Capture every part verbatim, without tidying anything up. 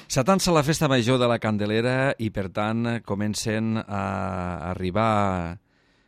S'atansa la festa major de la Candelera i, per tant, comencen a arribar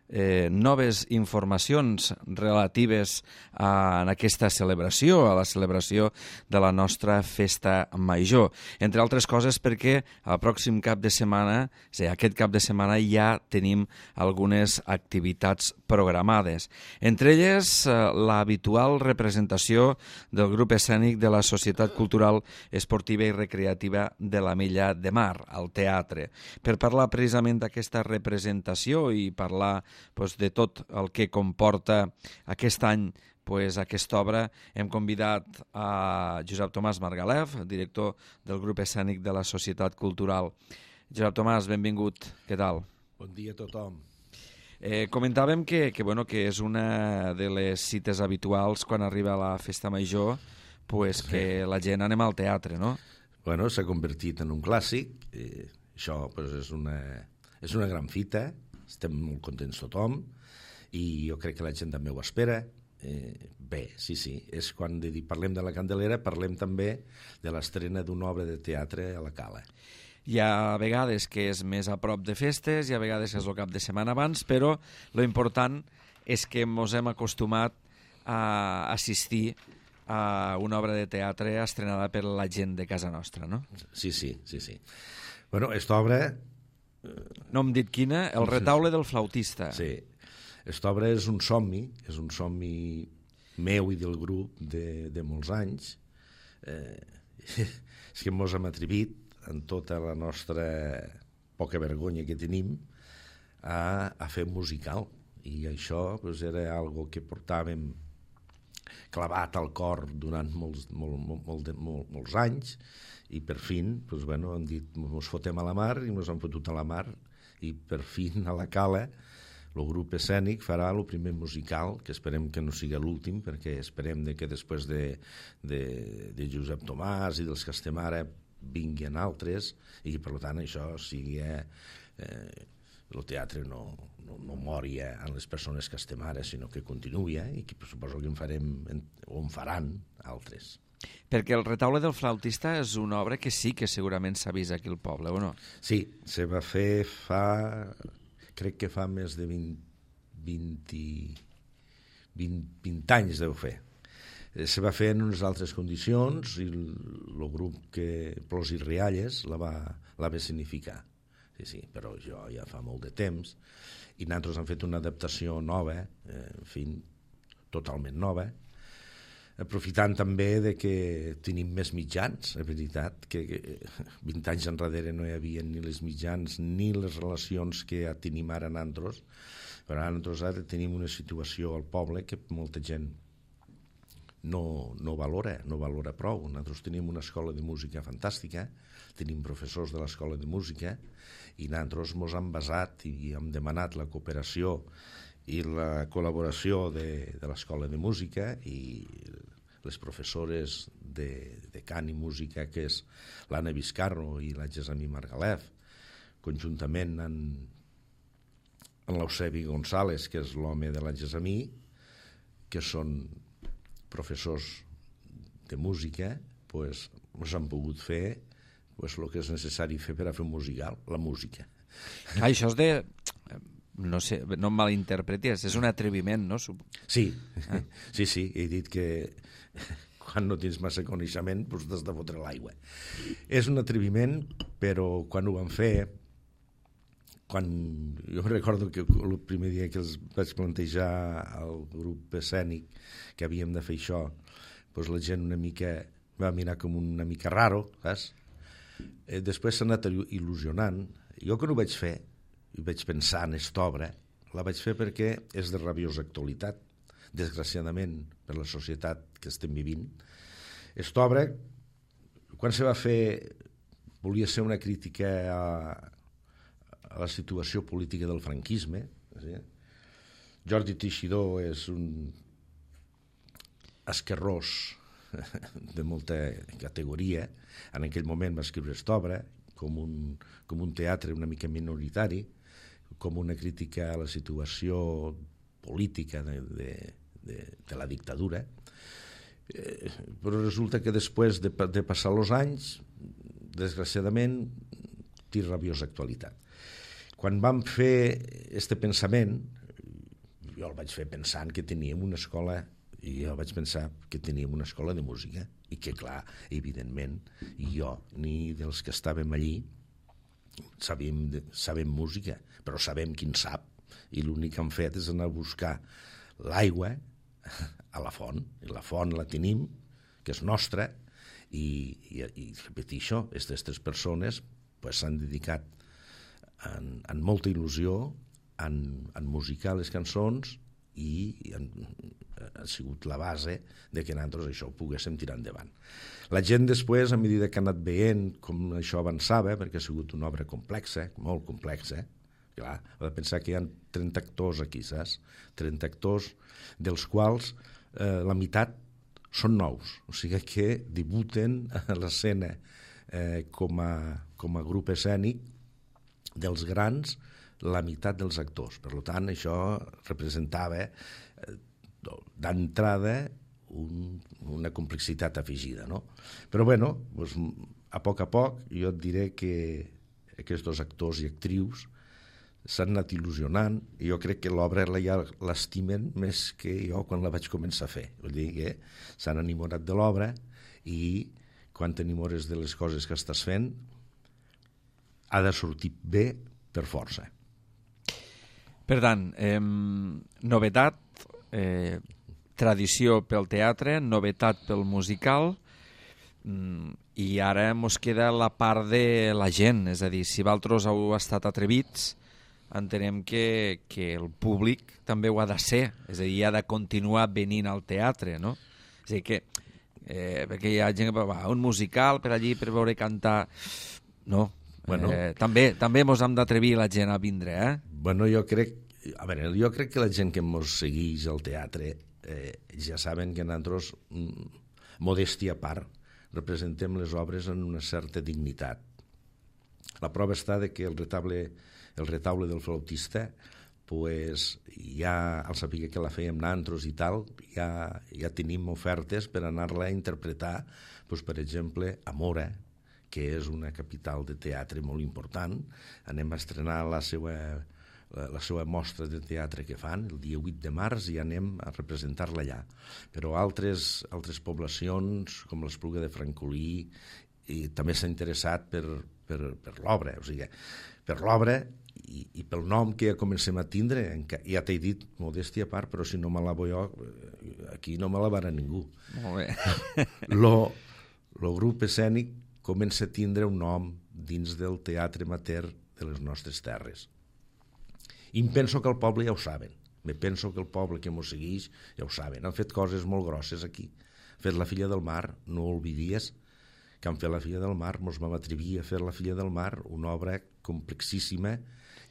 eh, noves informacions relatives a, a aquesta celebració, a la celebració de la nostra festa major. Entre altres coses perquè el pròxim cap de setmana, és a dir, aquest cap de setmana ja tenim algunes activitats programades. Entre elles, eh, l'habitual representació del grup escènic de la Societat Cultural Esportiva i Recreativa de la Milla de Mar, al teatre. Per parlar precisament d'aquesta representació i parlar pues, de tot el que comporta aquest any pues, aquesta obra, hem convidat a Josep Tomàs Margalef, director del grup escènic de la Societat Cultural. Josep Tomàs, benvingut. Què tal? Bon dia a tothom. Eh, comentàvem que, que, bueno, que és una de les cites habituals quan arriba la festa major, pues, que la gent anem al teatre, no? Bueno, s'ha convertit en un clàssic. Eh, això pues, és, una, és una gran fita. Estem molt contents tothom i jo crec que la gent també ho espera. Eh, bé, sí, sí, és quan de dir, parlem de la Candelera, parlem també de l'estrena d'una obra de teatre a la Cala. Hi ha vegades que és més a prop de festes, hi ha vegades que és el cap de setmana abans, però lo important és que ens hem acostumat a assistir a una obra de teatre estrenada per la gent de casa nostra, no? Sí, sí, sí, sí. Bueno, aquesta obra... No hem dit quina, El retaule del flautista. Sí, aquesta obra és un somni, és un somni meu i del grup de, de molts anys. Eh, és que ens hem atrevit, en tota la nostra poca vergonya que tenim, a, a fer musical. I això pues, era algo que portàvem clavat al cor durant molts, molt, molt, molt, molt, molts anys, i per fin pues, bueno, han dit ens fotem a la mar i ens han fotut a la mar, i per fin a la Cala el grup escènic farà el primer musical, que esperem que no sigui l'últim, perquè esperem de que després de, de, de Josep Tomàs i dels que estem ara vinguin altres, i per tant això sigui eh, el teatre no, no, no mori eh, en les persones que estem ara, sinó que continuï eh, i que suposo que en farem o en faran altres. Perquè El retaule del flautista és una obra que sí que segurament s'ha vist aquí al poble, o no? Sí, se va fer fa... crec que fa més de vint, vint, vint, vint anys deu fer. Se va fer en unes altres condicions i el grup que Plors i Rialles la va, la va significar. Sí, sí, però jo ja fa molt de temps i nosaltres hem fet una adaptació nova, eh, en fi, totalment nova, aprofitant també de que tenim més mitjans, és veritat, que vint anys enrere no hi havia ni les mitjans ni les relacions que tenim ara nosaltres, però ara nosaltres ara tenim una situació al poble que molta gent no, no valora, no valora prou. Nosaltres tenim una escola de música fantàstica, tenim professors de l'escola de música i nosaltres ens hem basat i hem demanat la cooperació i la col·laboració de, de l'escola de música i les professores de, de cant i música, que és l'Anna Vizcarro i la Gessamí Margalef, conjuntament amb, amb l'Eusebi González, que és l'home de la Gessamí, que són professors de música, pues, ens han pogut fer pues, el que és necessari fer per a fer un musical, la música. Ah, això és de... No sé, no em malinterpretis, és un atreviment, no? Sí, ah. sí, sí, he dit que quan no tens massa coneixement doncs t'has de fotre l'aigua. És un atreviment, però quan ho vam fer, quan jo recordo que el primer dia que els vaig plantejar al grup escènic que havíem de fer això, doncs la gent una mica va mirar com una mica raro, saps? Eh, després s'ha anat il·lusionant. Jo quan ho vaig fer, i vaig pensar en aquesta obra, la vaig fer perquè és de rabiosa actualitat, desgraciadament per la societat que estem vivint. Aquesta obra, quan se va fer, volia ser una crítica a, a la situació política del franquisme. Jordi Teixidor és un esquerrós de molta categoria. En aquell moment va escriure aquesta obra com un, com un teatre una mica minoritari, com una crítica a la situació política de, de, de, de la dictadura. Eh, però resulta que després de, de passar els anys desgraciadament, té rabiosa actualitat. Quan vam fer este pensament, jo el vaig fer pensant que teníem una escola, i jo vaig pensar que teníem una escola de música, i que, clar, evidentment, jo, ni dels que estàvem allí, sabem, sabem música, però sabem qui en sap, i l'únic que hem fet és anar a buscar l'aigua a la font, i la font la tenim, que és nostra, i, i, i repeteixo, aquestes persones pues, s'han dedicat en, en molta il·lusió en, en musicar les cançons i, i han, ha sigut la base de que nosaltres això ho poguéssim tirar endavant. La gent després, a mesura que ha anat veient com això avançava, perquè ha sigut una obra complexa, molt complexa, clar, ha de pensar que hi ha trenta actors aquí, saps? trenta actors, dels quals eh, la meitat són nous, o sigui que debuten a l'escena eh, com, a, com a grup escènic dels grans, la meitat dels actors. Per tant, això representava eh, d'entrada un, una complexitat afegida, no? Però, bueno, doncs, a poc a poc jo et diré que aquests actors i actrius s'han anat il·lusionant i jo crec que l'obra ja l'estimen més que jo quan la vaig començar a fer. Vull dir que s'han enamorat de l'obra i quan t'enamores de les coses que estàs fent ha de sortir bé per força. Per tant, eh, novetat, eh, tradició pel teatre, novetat pel musical, mm, i ara mos queda la part de la gent, és a dir, si vosaltres heu estat atrevits, entenem que, que el públic també ho ha de ser, és a dir, ha de continuar venint al teatre, no? És a dir, que, eh, perquè hi ha gent que va, un musical per allí per veure cantar... No, bueno, eh, també, també mos hem d'atrevir la gent a vindre, eh? Bueno, jo crec, a veure, jo crec que la gent que mos segueix al teatre eh, ja saben que nosaltres, modèstia a part, representem les obres en una certa dignitat. La prova està de que el retable, el retaule del flautista, pues, ja al saber que la fèiem nosaltres i tal, ja, ja tenim ofertes per anar-la a interpretar, pues, per exemple, a Mora, que és una capital de teatre molt important. Anem a estrenar la seva, la, la seva mostra de teatre que fan el dia vuit de març i anem a representar-la allà. Però altres, altres poblacions, com l'Espluga de Francolí, i també s'ha interessat per, per, per l'obra, o sigui, per l'obra i, i pel nom que ja comencem a tindre, ja t'he dit, modèstia a part, però si no me la vull jo, aquí no me la varà ningú. Molt bé. Lo, lo grup escènic comença a tindre un nom dins del teatre amateur de les nostres terres. I em penso que el poble ja ho saben. Me penso que el poble que mos segueix ja ho saben. Han fet coses molt grosses aquí. Han fet La Filla del Mar, no ho oblidies, que han fet La Filla del Mar, mos vam atrevir a fer La Filla del Mar, una obra complexíssima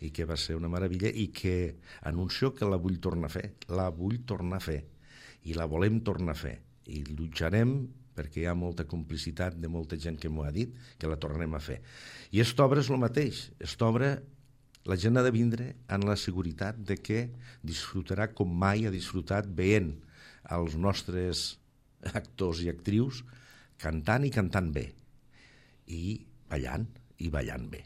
i que va ser una meravella i que anuncio que la vull tornar a fer. La vull tornar a fer i la volem tornar a fer. I lluitarem perquè hi ha molta complicitat de molta gent que m'ho ha dit, que la tornarem a fer. I aquesta obra és el mateix. Aquesta obra, la gent ha de vindre amb la seguretat de que disfrutarà com mai ha disfrutat veient els nostres actors i actrius cantant i cantant bé. I ballant, i ballant bé.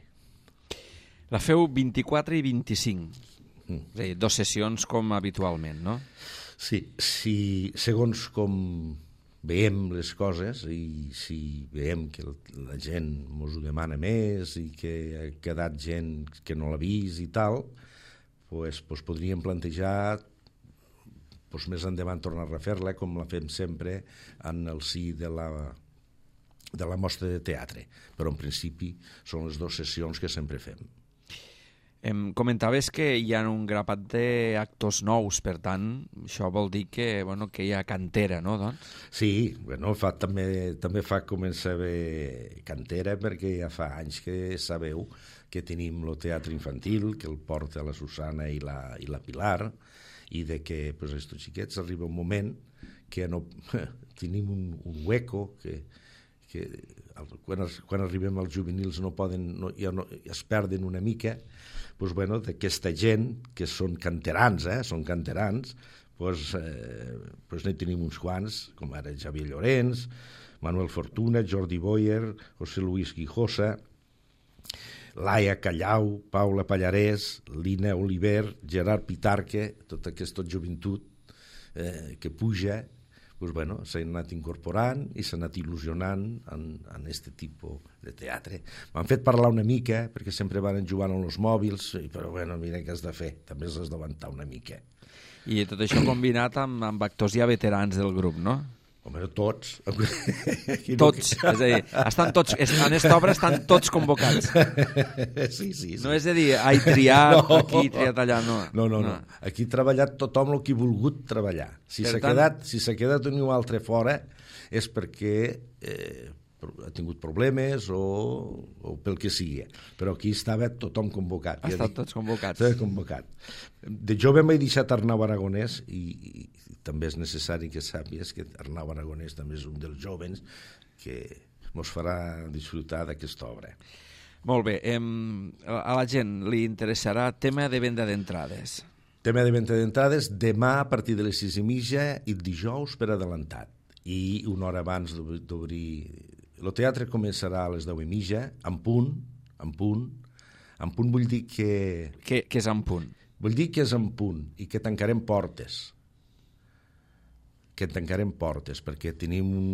La feu vint-i-quatre i vint-i-cinc. Mm. És a dir, dos sessions com habitualment, no? Sí, sí, segons com veiem les coses i si veiem que la gent ens ho demana més i que ha quedat gent que no l'ha vist i tal, pues, pues podríem plantejar pues, més endavant tornar a refer-la com la fem sempre en el si de la, de la mostra de teatre. Però en principi són les dues sessions que sempre fem. Em comentaves que hi ha un grapat d'actors nous, per tant, això vol dir que, bueno, que hi ha cantera, no? Doncs? Sí, bueno, fa, també, també fa començar bé cantera perquè ja fa anys que sabeu que tenim el teatre infantil, que el porta la Susana i la, i la Pilar, i de que pues, estos xiquets arriba un moment que no, tenim un, un hueco que, que quan, quan arribem als juvenils no poden, no, ja no, es perden una mica. Pues, bueno, d'aquesta gent que són canterans, eh, són canterans, pues, eh, pues ne tenim uns quants, com ara Xavier Llorenç, Manuel Fortuna, Jordi Boyer, José Luis Guijosa, Laia Callau, Paula Pallarès, Lina Oliver, Gerard Pitarque, tota aquesta joventut eh, que puja, pues bueno, s'han anat incorporant i s'han anat il·lusionant en, en aquest tipus de teatre. M'han fet parlar una mica, perquè sempre van jugant amb els mòbils, però bueno, mira què has de fer, també has d'avançar una mica. I tot això combinat amb, amb actors ja veterans del grup, no? Home, tots. Tots, és a dir, estan tots, en aquesta obra estan tots convocats. Sí, sí, sí. No és a dir, ai, triat no. aquí, triat allà, no. No, no, no. no. Aquí ha treballat tothom el que ha volgut treballar. Si s'ha tant... quedat, si s'ha quedat un altre fora és perquè eh, ha tingut problemes o, o pel que sigui. Però aquí estava tothom convocat. Ha estat tots convocats. Estava convocat. De jove m'he deixat Arnau Aragonès i, i també és necessari que sàpies que Arnau Aragonès també és un dels jovens que ens farà disfrutar d'aquesta obra. Molt bé. Em, a la gent li interessarà tema de venda d'entrades. Tema de venda d'entrades demà a partir de les sis i mitja i dijous per adelantat. I una hora abans d'obrir... El teatre començarà a les deu i mitja, en punt, en punt. En punt vull dir que... Què, què és en punt? Vull dir que és en punt i que tancarem portes. que tancarem portes, perquè tenim un...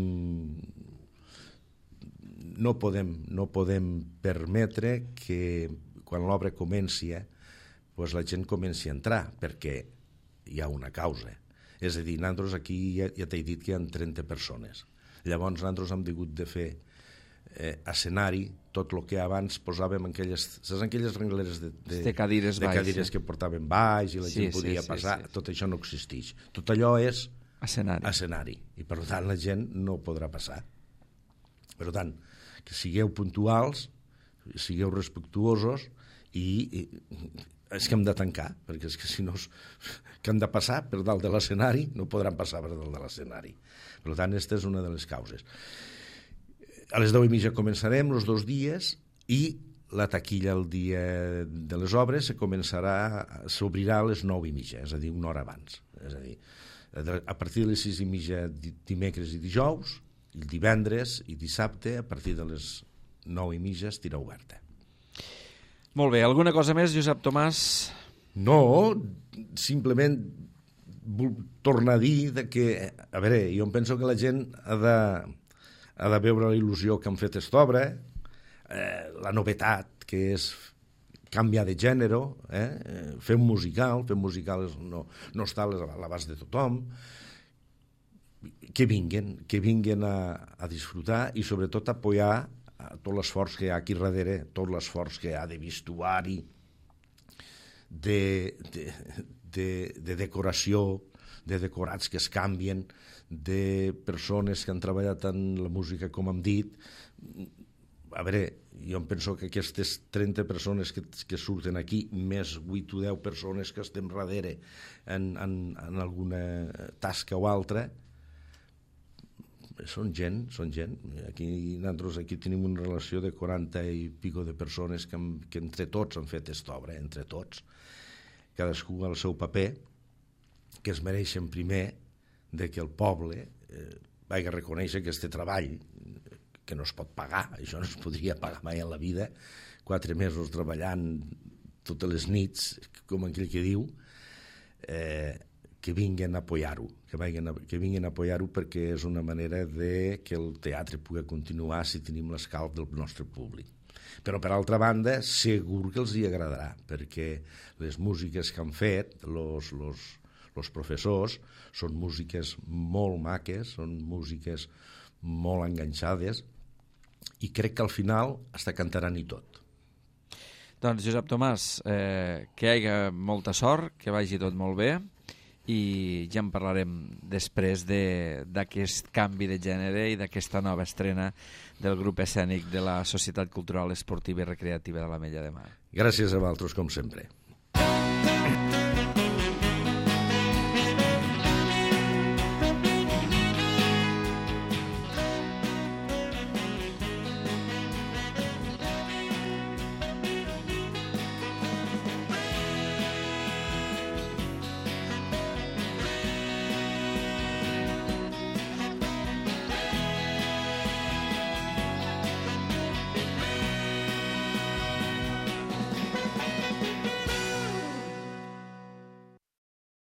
No podem, no podem permetre que quan l'obra comenci pues la gent comenci a entrar, perquè hi ha una causa. És a dir, nosaltres aquí ja, ja t'he dit que hi ha trenta persones. Llavors nosaltres hem hagut de fer eh, escenari, tot el que abans posàvem en aquelles, saps, en aquelles rengleres de, de, de cadires, de baix, cadires sí. que portaven baix i la sí, gent podia sí, sí, passar, sí, sí. Tot això no existeix. Tot allò és escenari. escenari i per tant la gent no podrà passar. Per tant, que sigueu puntuals, sigueu respectuosos i, i és que hem de tancar, perquè és que si no que han de passar per dalt de l'escenari no podran passar per dalt de l'escenari. Per tant, aquesta és una de les causes. A les deu i mitja començarem els dos dies i la taquilla el dia de les obres se començarà, s'obrirà a les nou i mitja, és a dir, una hora abans. És a dir, a partir de les sis i mitja dimecres i dijous, el divendres i dissabte, a partir de les nou i mitja estirà oberta. Molt bé, alguna cosa més, Josep Tomàs? No, simplement vull tornar a dir de que, a veure, jo em penso que la gent ha de, ha de veure la il·lusió que han fet aquesta obra, eh, la novetat que és canviar de gènere, eh? Fer un musical, fer un musical no, no està a l'abast de tothom, que vinguin, que vinguin a, a disfrutar i sobretot a apoyar a tot l'esforç que hi ha aquí darrere, tot l'esforç que hi ha de vestuari, de, de, de, de decoració, de decorats que es canvien, de persones que han treballat en la música, com hem dit. A veure, jo em penso que aquestes trenta persones que, que surten aquí, més vuit o deu persones que estem darrere en, en, en alguna tasca o altra, són gent, són gent. Aquí, nosaltres aquí tenim una relació de quaranta i pico de persones que, que entre tots han fet aquesta obra, entre tots. Cadascú al seu paper, que es mereixen primer de que el poble eh, vagi a reconèixer que este treball, que no es pot pagar, això no es podria pagar mai en la vida, quatre mesos treballant totes les nits, com aquell que diu, eh, que vinguin a apoyar-ho, que vinguin a, que vinguin a apoyar-ho perquè és una manera de que el teatre pugui continuar si tenim l'escalf del nostre públic. Però, per altra banda, segur que els hi agradarà, perquè les músiques que han fet los, los, los professors són músiques molt maques, són músiques molt enganxades, i crec que al final hasta cantaran i tot. Doncs, Josep Tomàs, eh, que hi hagi molta sort, que vagi tot molt bé, i ja en parlarem després d'aquest canvi de gènere i d'aquesta nova estrena del grup escènic de la Societat Cultural Esportiva i Recreativa de l'Ametlla de Mar. Gràcies a vosaltres, com sempre.